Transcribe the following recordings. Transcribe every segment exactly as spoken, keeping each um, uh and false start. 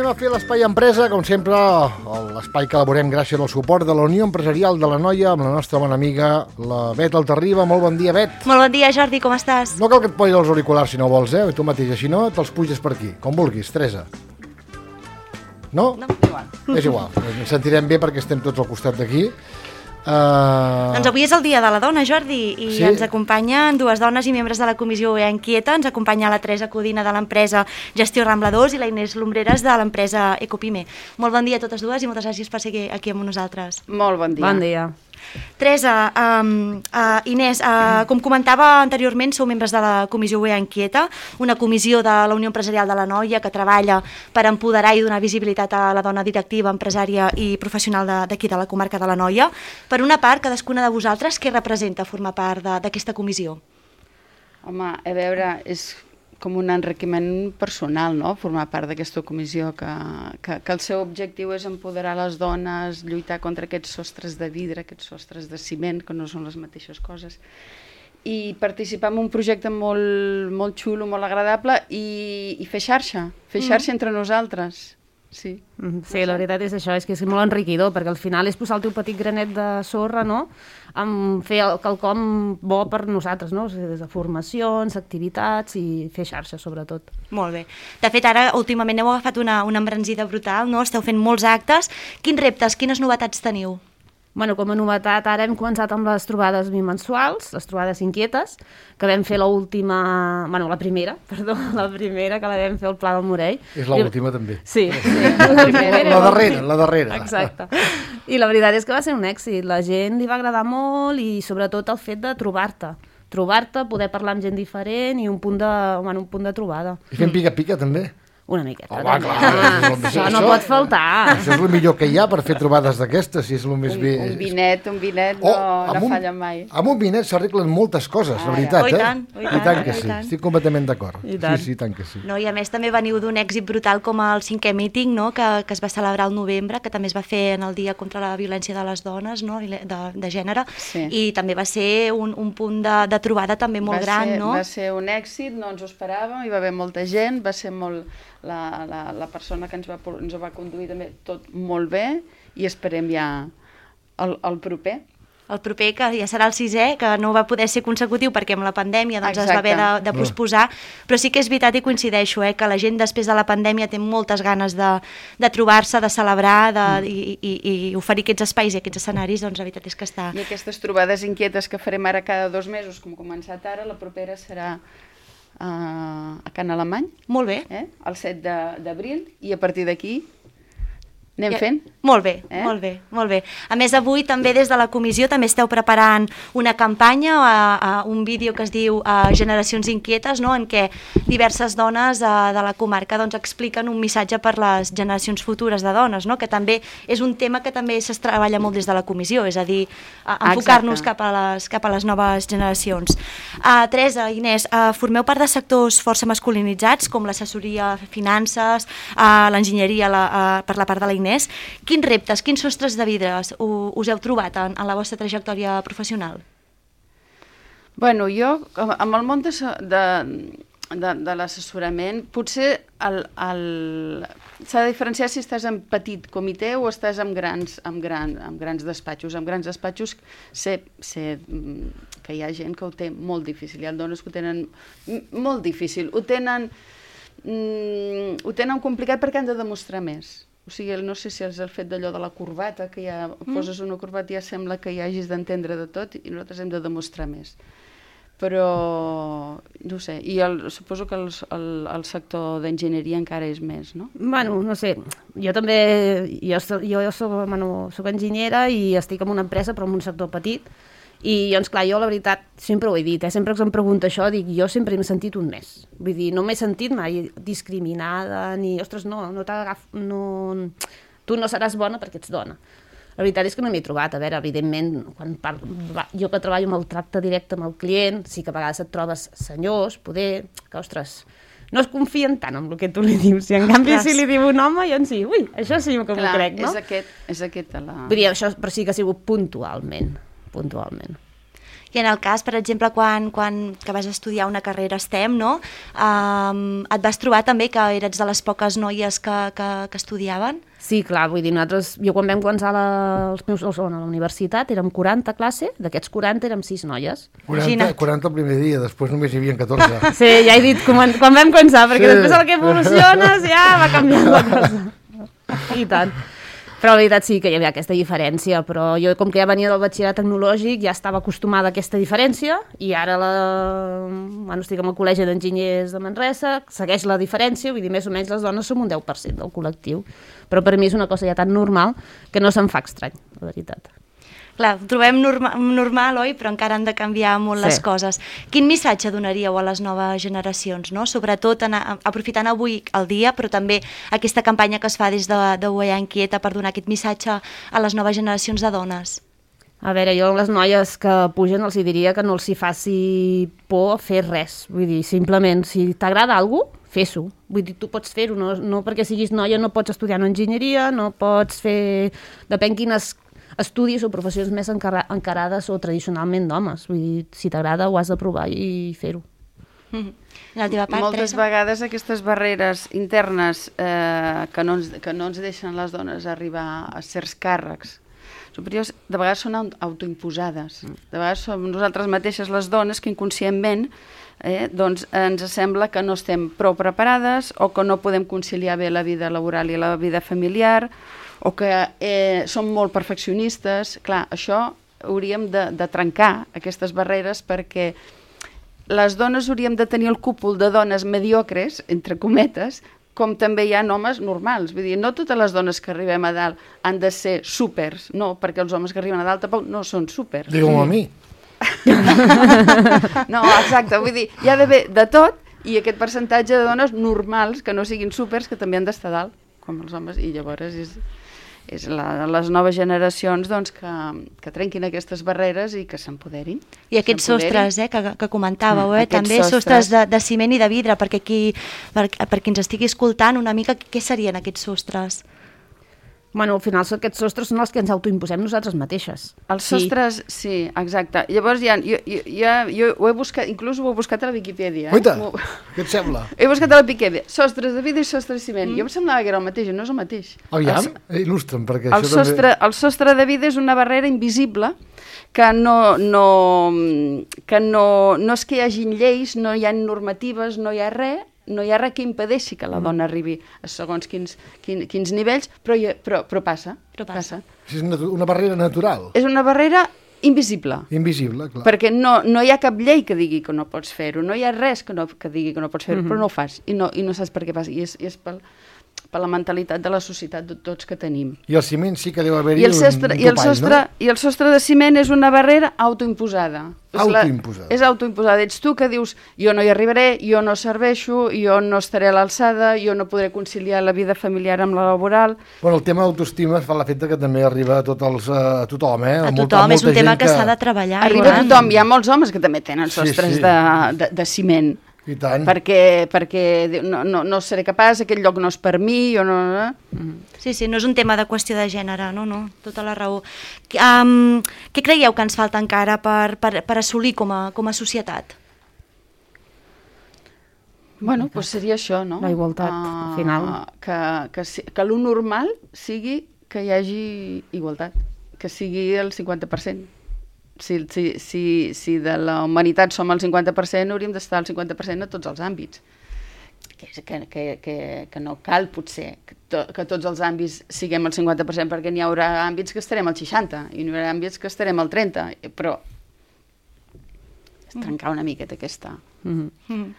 a fer l'Espai Empresa, com sempre, l'espai que elaborem gràcies al suport de la Unió Empresarial de l'Anoia amb la nostra bona amiga, la Bet Altarriba. Molt bon dia, Bet. Molt bon dia, Jordi, com estàs? No cal que et posis els auriculars si no vols, eh? Tu mateix, si no, te'ls puges per aquí, com vulguis, Teresa. No? No, igual. És igual, ens sentirem bé perquè estem tots al costat d'aquí. Uh... Doncs avui és el Dia de la Dona, Jordi, i sí? ens acompanyen dues dones i membres de la Comissió U E A Inquieta. Ens acompanya la Teresa Codina de l'empresa Gestió Rambla dos i la Inés Lumbreras de l'empresa Ecopime. Molt bon dia a totes dues i moltes gràcies per ser aquí amb nosaltres. Molt bon dia. Bon dia. Teresa, um, uh, Inés, uh, com comentava anteriorment, sou membres de la Comissió U E A Inquieta, una comissió de la Unió Empresarial de l'Anoia que treballa per empoderar i donar visibilitat a la dona directiva, empresària i professional d'aquí de, de la comarca de l'Anoia. Per una part, cadascuna de vosaltres, què representa formar part d'aquesta comissió? Home, a veure, és com un enriquiment personal, no?, formar part d'aquesta comissió, que, que, que el seu objectiu és empoderar les dones, lluitar contra aquests sostres de vidre, aquests sostres de ciment, que no són les mateixes coses, i participar en un projecte molt, molt xulo, molt agradable, i, i fer xarxa, fer xarxa mm. entre nosaltres. Sí. Sí, la veritat és això, és que és molt enriquidor, perquè al final és posar el teu petit granet de sorra, no?, amb fer quelcom bo per nosaltres, no?, o sigui, des de formacions, activitats i fer xarxa, sobretot. Molt bé. De fet, ara, últimament heu agafat una, una embranzida brutal, no?, esteu fent molts actes. Quins reptes, quines novetats teniu? Bueno, com a novetat, ara hem començat amb les trobades bimensuals, les trobades inquietes, que vam fer l'última, bueno, la primera, perdó, la primera, que la vam fer al Pla del Morell. És l'última, també. Sí, sí. La, primera, la darrera, la darrera. Exacte. I la veritat és que va ser un èxit, la gent li va agradar molt i sobretot el fet de trobar-te. Trobar-te, poder parlar amb gent diferent i un punt de, bueno, un punt de trobada. I fent pica-pica, també? Una miqueta. Oh, va, clar, ah, això, això no pot faltar. Això és el millor que hi ha per fer trobades d'aquestes, si és el més un, bé. Un vinet, un vinet no, oh, no un, falla mai. Amb un vinet s'arreglen moltes coses, la veritat, oh, eh? I tant, oh, i tant, I tant que oh, sí, tant. estic completament d'acord. Sí, sí, tant que sí. No, i a més també veniu d'un èxit brutal com el cinquè míting, no?, que, que es va celebrar al novembre, que també es va fer en el Dia contra la Violència de les Dones, no?, de, de gènere, sí. I també va ser un, un punt de, de trobada també molt va gran, ser, no? Va ser un èxit, no ens ho esperàvem, hi va haver molta gent, va ser molt... La, la, la persona que ens va, ens va conduir també tot molt bé i esperem ja el, el proper. El proper, que ja serà el sisè, que no va poder ser consecutiu perquè amb la pandèmia doncs, es va haver de, de posposar, però sí que és veritat i coincideixo, eh, que la gent després de la pandèmia té moltes ganes de, de trobar-se, de celebrar de, mm. i, i, i oferir aquests espais i aquests escenaris, doncs la veritat és que està... I aquestes trobades inquietes que farem ara cada dos mesos, com ha començat ara, la propera serà Uh, a Can Alemany. Molt bé. Eh? El set d'abril, i a partir d'aquí anem ja, fent. Molt bé, eh? molt bé, molt bé. A més, avui també des de la comissió també esteu preparant una campanya, a, a un vídeo que es diu a Generacions Inquietes, no?, en què diverses dones a, de la comarca doncs, expliquen un missatge per les generacions futures de dones, no?, que també és un tema que també es treballa molt des de la comissió, és a dir, enfocar-nos cap, a les, cap a les noves generacions. Uh, Teresa, Inés, uh, formeu part de sectors força masculinitzats, com l'assessoria, finances, uh, l'enginyeria la, uh, per la part de la Inés. Quins reptes, quins sostres de vidres us heu trobat en, en la vostra trajectòria professional? Bueno, jo, amb el món de, de, de, de l'assessorament, potser el, el, s'ha de diferenciar si estàs en petit comitè o estàs en grans, en gran, en grans despatxos. En grans despatxos sé, sé que hi ha gent que ho té molt difícil, hi ha dones que ho tenen molt difícil, ho tenen, mm, ho tenen complicat perquè han de demostrar més. O sigui, no sé si és el fet d'allò de la corbata, que ja mm. poses una corbata i ja sembla que hi hagis d'entendre de tot i nosaltres hem de demostrar més. Però, no sé, i el, suposo que el, el, el sector d'enginyeria encara és més, no? Bueno, no sé, jo també, jo, jo soc, bueno, soc enginyera i estic en una empresa però en un sector petit. I doncs clar, jo la veritat sempre ho he dit, eh? Sempre que em pregunta això dic, jo sempre m'he sentit un mes, vull dir, no m'he sentit mai discriminada ni, ostres, no, no t'agaf, no, tu no seràs bona perquè ets dona. La veritat és que no m'he trobat, a veure, evidentment, quan parlo, jo que treballo amb el tracte directe amb el client, sí que a vegades et trobes senyors, poder, que ostres, no es confien tant en el que tu li dius, i en canvi si li diu un home, jo en sí, ui, això sí que m'ho crec, no? És aquest, és aquest la... Vull dir, això, però sí que ha sigut puntualment. puntualment. I I en el cas, per exemple, quan, quan que vas estudiar una carrera STEM, no? Um, et vas trobar també que eres de les poques noies que, que, que estudiaven? Sí, clar, vull dir, nosaltres, jo quan vam començar la, els meus, a la universitat érem quaranta a classe, d'aquests quaranta érem sis noies. quaranta, quaranta el primer dia, després només hi havia catorze. Sí, ja he dit quan, quan vam començar, perquè sí. Després el que evoluciones ja va canviant la cosa. I tant. Però la veritat sí que hi havia aquesta diferència, però jo com que ja venia del batxillerat tecnològic ja estava acostumada a aquesta diferència i ara la... bueno, estic en el Col·legi d'Enginyers de Manresa, segueix la diferència, vull dir, més o menys les dones som un deu per cent del col·lectiu, però per mi és una cosa ja tan normal que no se'm fa estrany, la veritat. Clar, ho trobem norma normal, oi? Però encara han de canviar molt sí. les coses. Quin missatge donaríeu a les noves generacions, no? Sobretot en, aprofitant avui el dia, però també aquesta campanya que es fa des de, de U E A Inquieta per donar aquest missatge a les noves generacions de dones? A veure, jo a les noies que pugen els diria que no els hi faci por fer res. Vull dir, simplement, si t'agrada alguna cosa, fes-ho. Vull dir, tu pots fer-ho, no, no perquè siguis noia no pots estudiar una enginyeria, no pots fer... Depèn quines estudis o professions més encarades o tradicionalment d'homes. Vull dir, si t'agrada ho has de provar i fer-ho. Mm-hmm. La teva part, Moltes Teresa? vegades aquestes barreres internes eh, que, no ens, que no ens deixen les dones arribar a certs càrrecs superiors, de vegades són autoimposades. De vegades som nosaltres mateixes les dones que inconscientment eh, doncs ens sembla que no estem prou preparades o que no podem conciliar bé la vida laboral i la vida familiar o que eh, som molt perfeccionistes. Clar, això hauríem de, de trencar aquestes barreres perquè les dones hauríem de tenir el cúpul de dones mediocres, entre cometes, com també hi ha homes normals. Vull dir, no totes les dones que arribem a dalt han de ser súpers, no, perquè els homes que arriben a dalt tampoc no són súpers. Digue-m'ho a mi. No, exacte, vull dir, hi ha d'haver de tot i aquest percentatge de dones normals que no siguin súpers que també han d'estar dalt, com els homes, i llavors és... és la, les noves generacions doncs, que, que trenquin aquestes barreres i que s'empoderin. I aquests sostres eh, que, que comentàveu, eh, mm, també sostres, sostres de, de ciment i de vidre, perquè qui, per, per qui ens estigui escoltant una mica, què serien aquests sostres? Bueno, al final aquests sostres són els que ens autoimposem nosaltres mateixes. Els sostres, sí, sí exacte. Llavors, ja, jo, jo, ja, jo ho he buscat, inclús ho he buscat a la Viquipèdia. Oita, eh? què et sembla? He buscat a la Viquipèdia, sostres de vidre i sostres de ciment. Mm. Jo em semblava que era el mateix, no és el mateix. Aviam, el, il·lustra'm, perquè el això sostre, també... El sostre de vidre és una barrera invisible que no, no, que no, no és que hi hagin lleis, no hi ha normatives, no hi ha res, no hi ha res que impedeixi que la dona arribi a segons quins, quins, quins nivells, però, hi, però, però passa. Però passa. És una barrera natural. És una barrera invisible. Invisible, clar. Perquè no, no hi ha cap llei que digui que no pots fer-ho, no hi ha res que, no, que digui que no pots fer-ho, mm-hmm. però no ho fas, i no, i no saps per què passa, i és, i és pel, per la mentalitat de la societat de tots que tenim. I el ciment sí que deu haver-hi un, sostre, un i el topall, sostre, no? I el sostre de ciment és una barrera autoimposada. Autoimposada. És autoimposada. Ets tu que dius, jo no hi arribaré, jo no serveixo, jo no estaré a l'alçada, jo no podré conciliar la vida familiar amb la laboral. Bueno, el tema d'autoestima fa l'efecte que també arriba a, tot els, a tothom, eh? A A tothom, molta, és un molta tema que, que s'ha de treballar. Arriba a tothom, hi ha molts homes que també tenen sostres sí, sí. De, de, de ciment. I tant. Perquè, perquè no, no, no seré capaç, aquest lloc no és per mi, jo no... no. Sí, sí, no és un tema de qüestió de gènere, no, no, tota la raó. Um, què creieu que ens falta encara per, per, per assolir com a, com a societat? Bueno, doncs seria això, no? La igualtat, uh, al final. Que, que, que lo normal sigui que hi hagi igualtat, que sigui el cinquanta per cent. Si, si, si, si de la humanitat som el cinquanta per cent, hauríem d'estar al cinquanta per cent a tots els àmbits. Que, que, que, que, que no cal, potser, que, to, que tots els àmbits siguem al cinquanta per cent, perquè n'hi haurà àmbits que estarem al seixanta i n'hi haurà àmbits que estarem al trenta, però és trencar una miqueta aquesta... Mm-hmm. Mm-hmm.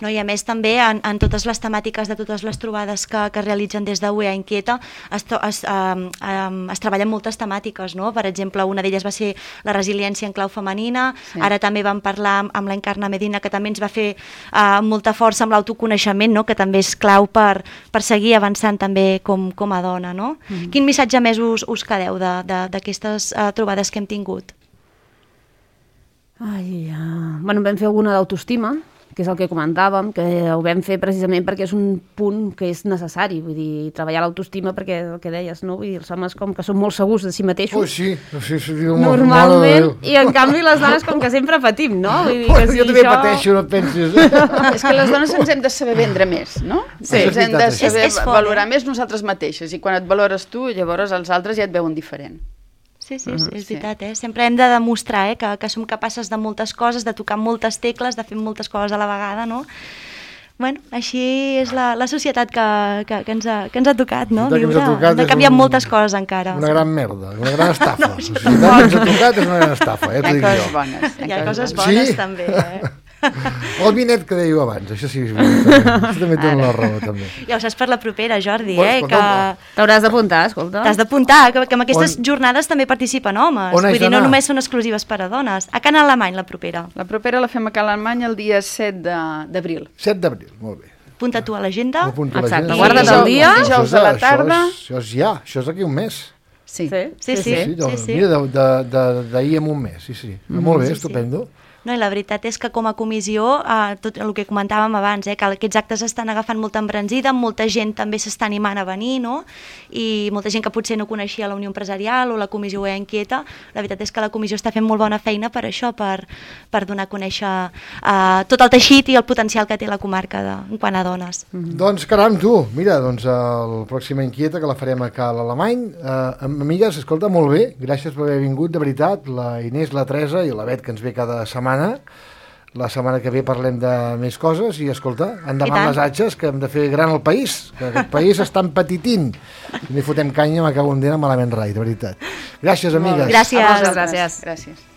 No, i a més també en, en totes les temàtiques de totes les trobades que, que es realitzen des de U E A Inquieta es, es, um, um, es treballen moltes temàtiques, no? Per exemple, una d'elles va ser la resiliència en clau femenina, sí. Ara també vam parlar amb, amb la Encarna Medina, que també ens va fer uh, molta força amb l'autoconeixement, no? Que també és clau per, per seguir avançant també com, com a dona, no? Mm. Quin missatge més us, us quedeu d'aquestes uh, trobades que hem tingut? Ai, uh... bueno, vam fer alguna d'autoestima, que és el que comentàvem, que ho vam fer precisament perquè és un punt que és necessari, vull dir, treballar l'autoestima perquè el que deies, no? Vull dir, els homes com que són molt segurs de si mateixos. Oh, sí, sí, sí, sí, normalment, i en canvi les dones com que sempre patim, no? Vull dir que si jo també això... pateixo, no et pensis. És que les dones ens hem de saber vendre més, no? Sí. Ens hem de És- saber és fort, valorar eh? més nosaltres mateixes, i quan et valores tu, llavors els altres ja et veuen diferent. Sí, sí, sí, és Sí. veritat, eh? Sempre hem de demostrar eh? que, que som capaces de moltes coses, de tocar moltes tecles, de fer moltes coses a la vegada, no? Bueno, així és la, la societat que, que, que, ens ha, que ens ha tocat, no? La societat que ens ha Viure. tocat Hem de és canviar un- moltes coses encara. Una gran merda, una gran estafa. La societat que ens ha tocat és una gran estafa, ja Hi t'ho ha dic coses jo. bones. Hi ha coses bones. bones Sí? també, eh? O el vinet que dèieu abans, això sí, és veritat, també. Això també té una raó, també. Ja ho saps per la propera, Jordi, Bueno, eh? escolta'm, Que T'hauràs d'apuntar, escolta. t'has d'apuntar, que, que en aquestes On- jornades també participen homes. On haig Vull dir, no d'anar? només són exclusives per a dones. A Can Alemany, la propera. La propera la fem a Cal Alemany el dia set de- d'abril. set d'abril, molt bé. Apunta tu a l'agenda. M'apunto a Exacte, l'agenda. guarda't Això- el dia. això és- Dijous a la tarda. Això és, això és ja, això és d'aquí un mes. Sí. Sí, sí, doncs, sí, sí. Mira, de- de- de- d'ahir en un mes, sí, sí. Molt bé, sí, sí. estupendo. No, i la veritat és que com a comissió, eh, tot el que comentàvem abans, eh, que aquests actes estan agafant molta embranzida, molta gent també s'està animant a venir, no? I molta gent que potser no coneixia la Unió Empresarial o la Comissió Oea Inquieta, la veritat és que la comissió està fent molt bona feina per això, per, per donar a conèixer eh, tot el teixit i el potencial que té la comarca de, en quant a dones. Doncs caram, tu, mira, doncs el pròxima inquieta que la farem a Cal Alemany. Eh, amigues, escolta, molt bé, gràcies per haver vingut, de veritat, la Inés, la Teresa i la Bet, que ens ve cada setmana. La setmana que ve parlem de més coses i, escolta, I endavant tant. les atxes, que hem de fer gran el país, que aquest país està empetitint. I no hi fotem canya, m'acabo un dia malament rai, de veritat. Gràcies, amigues. Gràcies. A vosaltres. Gràcies. Gràcies.